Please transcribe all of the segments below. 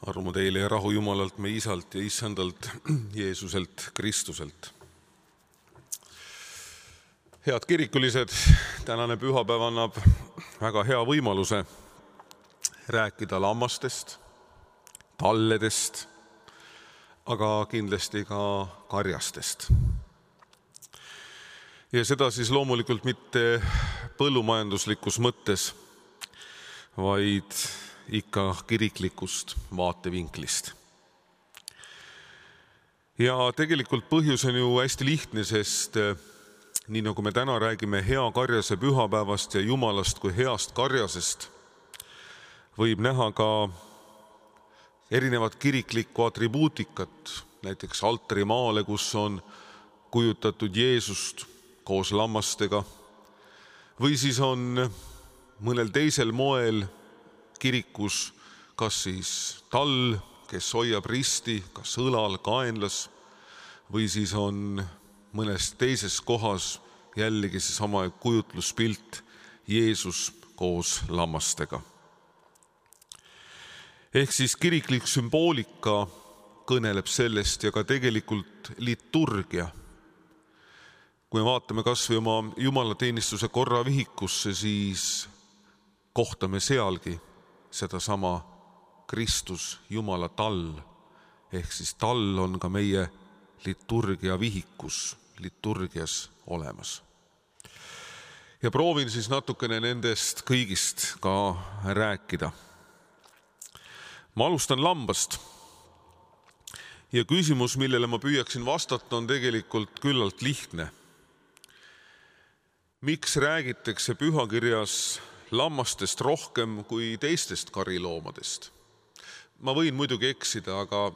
Armu teile ja rahu Jumalalt, meie Isalt ja Issandalt, Jeesuselt, Kristuselt. Head kirikulised, tänane pühapäev annab väga hea võimaluse rääkida lammastest, talledest, aga kindlasti ka karjastest. Ja seda siis loomulikult mitte põllumajanduslikus mõttes, vaid ikka kiriklikust vaatevinklist. Ja tegelikult põhjus on ju hästi lihtne, sest nii nagu me täna räägime hea karjase pühapäevast ja Jumalast kui heast karjasest, võib näha ka erinevat kiriklikku atribuutikat, näiteks altarimaale, kus on kujutatud Jeesust koos lammastega, või siis on mõnel teisel moel kirikus kas siis tall, kes hoiab risti, kas õlal, kaenlas, või siis on mõnes teises kohas jällegi seesama kujutluspilt Jeesus koos lammastega. Ehk siis kiriklik sümboolika kõneleb sellest ja ka tegelikult liturgia. Kui me vaatame kas või oma jumalateenistuse korravihikusse, siis kohtame sealgi sedasama Kristus, Jumala tall, ehk siis tall on ka meie liturgia vihikus, liturgias olemas. Ja proovin siis natukene nendest kõigist ka rääkida. Ma alustan lambast. Ja küsimus, millele ma püüaksin vastata, on tegelikult küllalt lihtne. Miks räägitakse pühakirjas lammastest rohkem kui teistest kariloomadest? Ma võin muidugi eksida, aga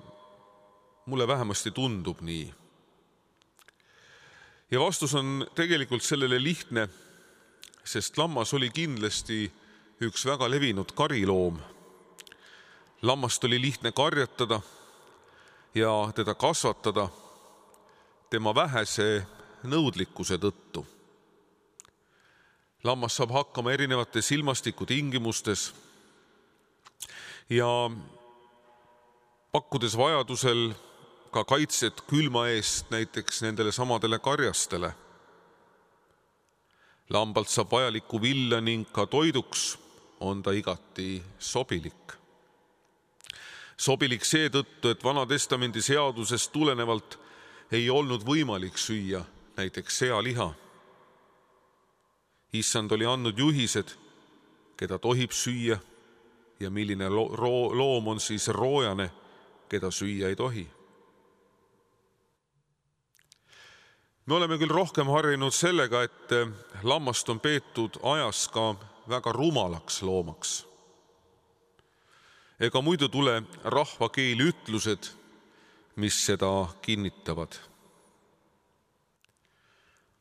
mulle vähemasti tundub nii. Ja vastus on tegelikult sellele lihtne, sest lammas oli kindlasti üks väga levinud kariloom. Lammast oli lihtne karjatada ja teda kasvatada tema vähese nõudlikkuse tõttu. Lammas saab hakkama erinevates ilmastikutingimustes ja pakkudes vajadusel ka kaitset külma eest näiteks nendele samadele karjastele. Lambalt saab vajalikku villa ning ka toiduks on ta igati sobilik. Sobilik seetõttu, et Vana Testamendi seadusest tulenevalt ei olnud võimalik süüa näiteks sealiha. Issand oli andnud juhised, keda tohib süüa ja milline loom on siis roojane, keda süüa ei tohi. Me oleme küll rohkem harjunud sellega, et lammast on peetud ajas ka väga rumalaks loomaks. Ega muidu tule rahvakeeli ütlused, mis seda kinnitavad.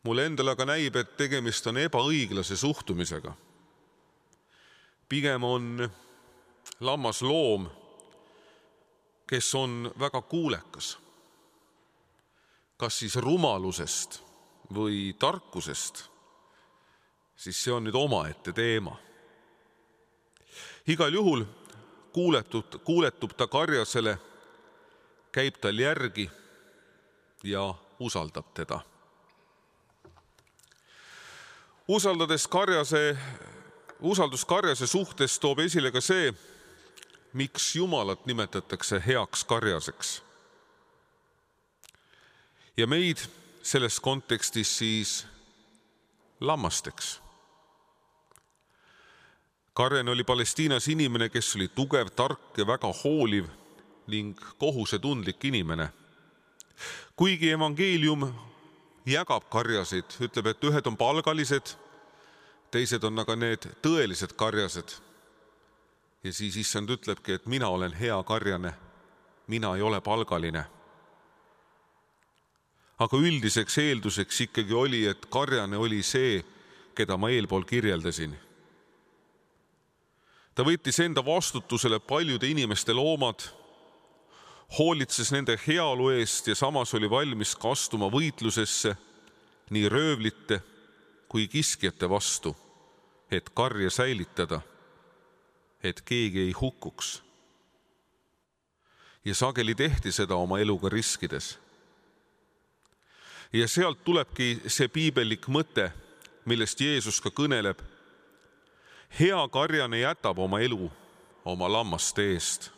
Mulle endale aga näib, et tegemist on ebaõiglase suhtumisega. Pigem on lammas loom, kes on väga kuulekas. Kas siis rumalusest või tarkusest, siis see on nüüd omaette teema. Igal juhul kuuletub ta karjasele, käib tal järgi ja usaldab teda. Usaldus karjase suhtes toob esile ka see, miks Jumalat nimetatakse heaks karjaseks. Ja meid selles kontekstis siis lammasteks. Karjane oli Palestiinas inimene, kes oli tugev, tark ja väga hooliv ning kohusetundlik inimene. Kuigi evangeelium jagab karjasid, ütleb, et ühed on palgalised, teised on aga need tõelised karjased. Ja siis Issand ütlebki, et mina olen hea karjane, mina ei ole palgaline. Aga üldiseks eelduseks ikkagi oli, et karjane oli see, keda ma eelpool kirjeldasin. Ta võttis enda vastutusele paljude inimeste loomad, hoolitses nende heaolu eest ja samas oli valmis kastuma võitlusesse nii röövlite kui kiskjate vastu, et karja säilitada, et keegi ei hukkuks. Ja sageli tehti seda oma eluga riskides. Ja sealt tulebki see piibellik mõte, millest Jeesus ka kõneleb. Hea karjane jätab oma elu oma lammaste eest.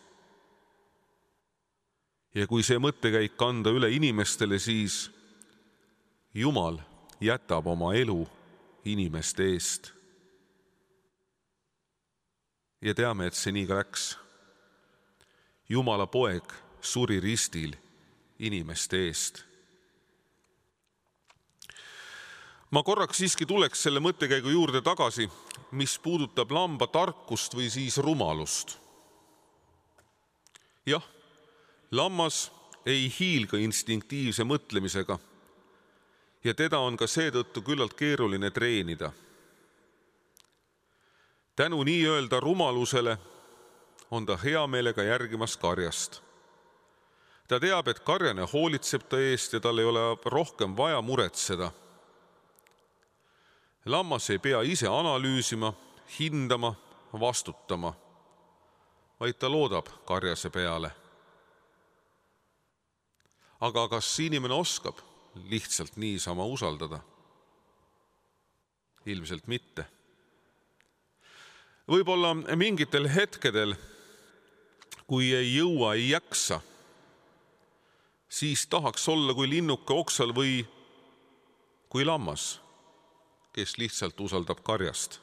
Ja kui see mõttekäik kanda üle inimestele, siis Jumal jätab oma elu inimeste eest. Ja teame, et see nii ka läks. Jumala poeg suri ristil inimeste eest. Ma korraks siiski tuleks selle mõttekäigu juurde tagasi, mis puudutab lamba tarkust või siis rumalust. Jah, lammas ei hiilga instinktiivse mõtlemisega ja teda on ka seetõttu küllalt keeruline treenida. Tänu nii-öelda rumalusele on ta hea meelega järgimas karjast. Ta teab, et karjane hoolitseb ta eest ja tal ei ole rohkem vaja muretseda. Lammas ei pea ise analüüsima, hindama, vastutama, vaid ta loodab karjase peale. Aga kas inimene oskab lihtsalt niisama usaldada? Ilmselt mitte. Võib-olla mingitel hetkedel, kui ei jõua, ei jaksa, siis tahaks olla kui linnuke oksal või kui lammas, kes lihtsalt usaldab karjast.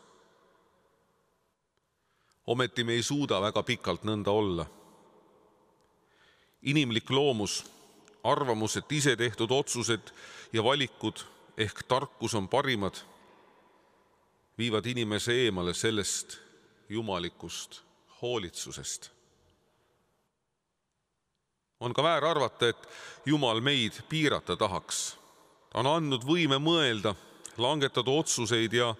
Ometi me ei suuda väga pikalt nõnda olla. Inimlik loomus, arvamus, et ise tehtud otsused ja valikud ehk tarkus on parimad, viivad inimese eemale sellest jumalikust hoolitsusest. On ka väär arvata, et Jumal meid piirata tahaks. Ta on andnud võime mõelda, langetada otsuseid ja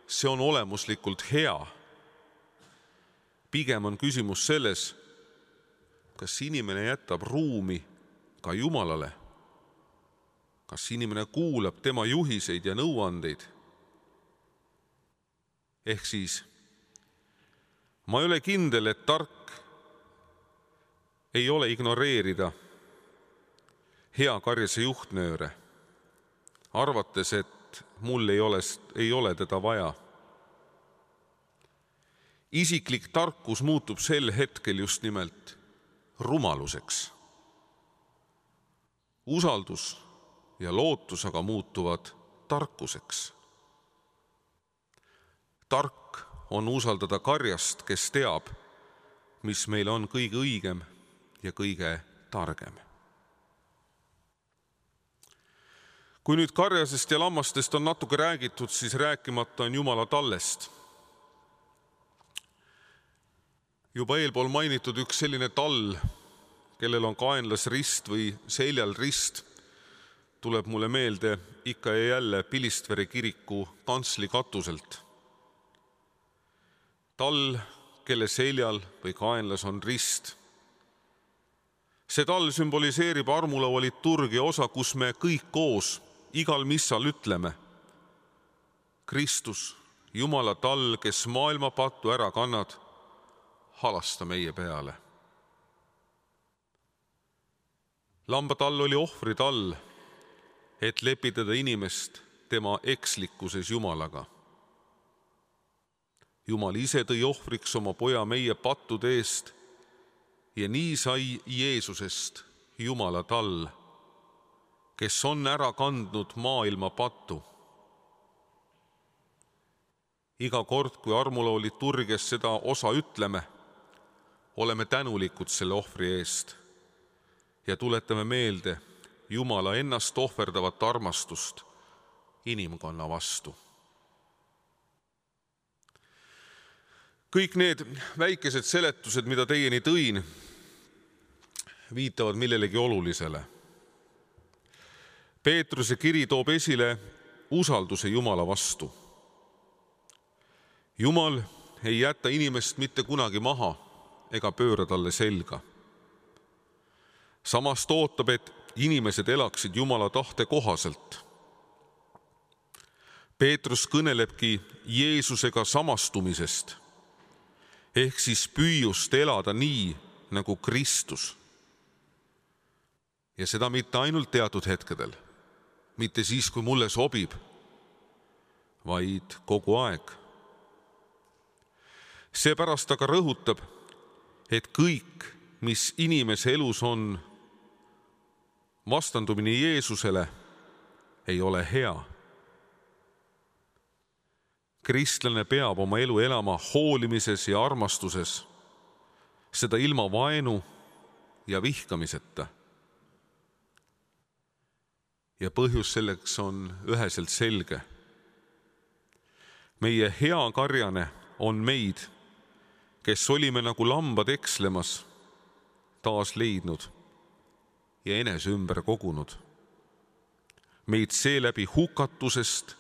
see on olemuslikult hea. Pigem on küsimus selles, kas inimene jätab ruumi ka Jumalale, kas inimene kuulab tema juhiseid ja nõuandeid. Ehk siis, ma ei ole kindel, et tark ei ole ignoreerida hea karjase juhtnööre, arvates, et mul ei ole teda vaja. Isiklik tarkus muutub sel hetkel just nimelt rumaluseks. Usaldus ja lootus aga muutuvad tarkuseks. Tark on usaldada karjast, kes teab, mis meil on kõige õigem ja kõige targem. Kui nüüd karjasest ja lammastest on natuke räägitud, siis rääkimata on Jumala tallest. Juba eelpool mainitud üks selline tall, kellel on kaenlasrist või seljal rist, tuleb mulle meelde ikka ja jälle Pilistvere kiriku kantsli katuselt. Tall, kelle seljal või kaenlas on rist. See tall sümboliseerib armulaua liturgia osa, kus me kõik koos igal missal ütleme: Kristus, Jumala tall, kes maailma pattu ära kannad, halasta meie peale. Lambatall oli ohvritall, et lepitada inimest tema ekslikkuses Jumalaga. Jumal ise tõi ohvriks oma poja meie pattude eest ja nii sai Jeesusest Jumala tall, kes on ära kandnud maailma pattu. Iga kord, kui armulao liturgias seda osa ütleme, oleme tänulikud selle ohvri eest ja tuletame meelde Jumala ennast ohverdavat armastust inimkonna vastu. Kõik need väikesed seletused, mida teieni tõin, viitavad millelegi olulisele. Peetruse kiri toob esile usalduse Jumala vastu. Jumal ei jäta inimest mitte kunagi maha ega pööra talle selga. Samas ootab, et inimesed elaksid Jumala tahte kohaselt. Peetrus kõnelebki Jeesusega samastumisest, ehk siis püüust elada nii, nagu Kristus Ja seda mitte ainult teatud hetkedel, mitte siis, kui mulle sobib, vaid kogu aeg. Seepärast aga rõhutab, et kõik, mis inimese elus on vastandumine Jeesusele, ei ole hea. Kristlane peab oma elu elama hoolimises ja armastuses, seda ilma vaenu ja vihkamiseta. Ja põhjus selleks on üheselt selge. Meie hea karjane on meid, kes olime nagu lambad ekslemas, taas leidnud ja enese ümber kogunud. Meid seeläbi hukatusest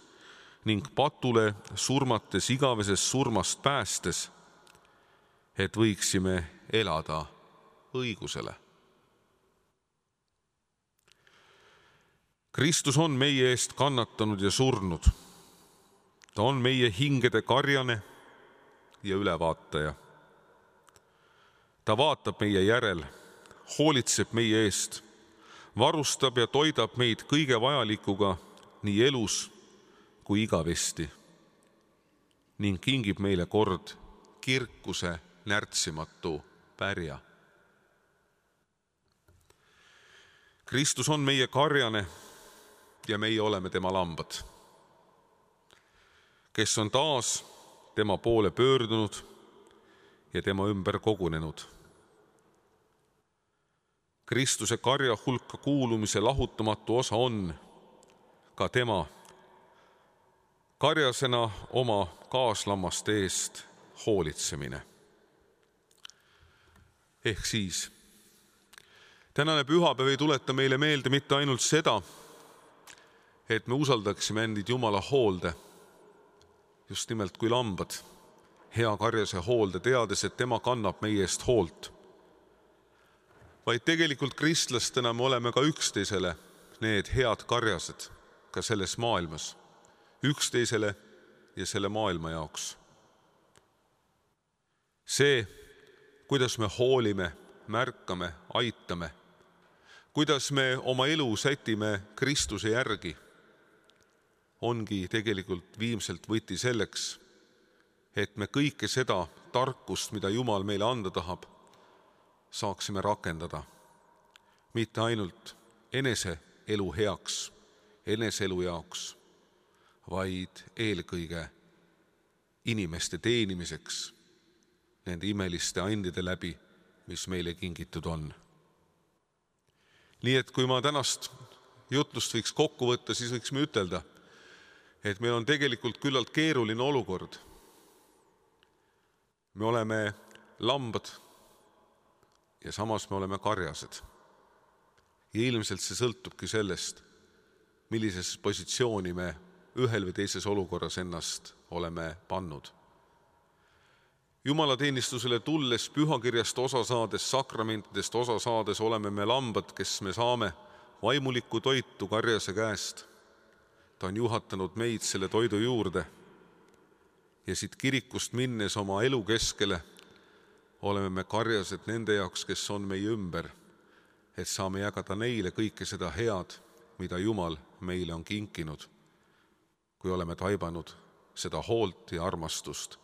ning patule surmates igavesest surmast päästes, et võiksime elada õigusele. Kristus on meie eest kannatanud ja surnud. Ta on meie hingede karjane ja ülevaataja. Ta vaatab meie järel, hoolitseb meie eest, varustab ja toidab meid kõige vajalikuga nii elus kui igavesti ning kingib meile kord kirkuse närtsimatu pärja. Kristus on meie karjane ja meie oleme tema lambad, kes on taas tema poole pöördunud ja tema ümber kogunenud. Kristuse karja hulka kuulumise lahutamatu osa on ka tema karjasena oma kaaslammaste eest hoolitsemine. Ehk siis, tänane pühapäev ei tuleta meile meelde mitte ainult seda, et me usaldaksime endid Jumala hoolde, just nimelt kui lambad, hea karjase hoolde, teades, et tema kannab meie eest hoolt. Vaid tegelikult kristlastena me oleme ka üksteisele need head karjased ka selles maailmas, üksteisele ja selle maailma jaoks. See, kuidas me hoolime, märkame, aitame, kuidas me oma elu sätime Kristuse järgi, ongi tegelikult viimselt võti selleks, et me kõike seda tarkust, mida Jumal meile anda tahab, saaksime rakendada. Mitte ainult enese elu heaks, enese elu jaoks, vaid eelkõige inimeste teenimiseks nende imeliste andide läbi, mis meile kingitud on. Nii et kui ma tänast jutlust võiks kokku võtta, siis võiksime ütelda, et meil on tegelikult küllalt keeruline olukord. Me oleme lambad ja samas me oleme karjased. Ja ilmselt see sõltubki sellest, millises positsiooni me ühel või teises olukorras ennast oleme pannud. Jumalateenistusele tulles, pühakirjast osa saades, sakramentidest osa saades oleme me lambad, kes me saame vaimulikku toitu karjase käest. Ta on juhatanud meid selle toidu juurde ja siit kirikust minnes oma elu keskele oleme me karjased nende jaoks, kes on meie ümber, et saame jagada neile kõike seda head, mida Jumal meile on kinkinud, kui oleme taibanud seda hoolt ja armastust,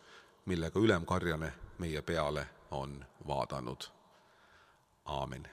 millega ülemkarjane meie peale on vaadanud. Aamen.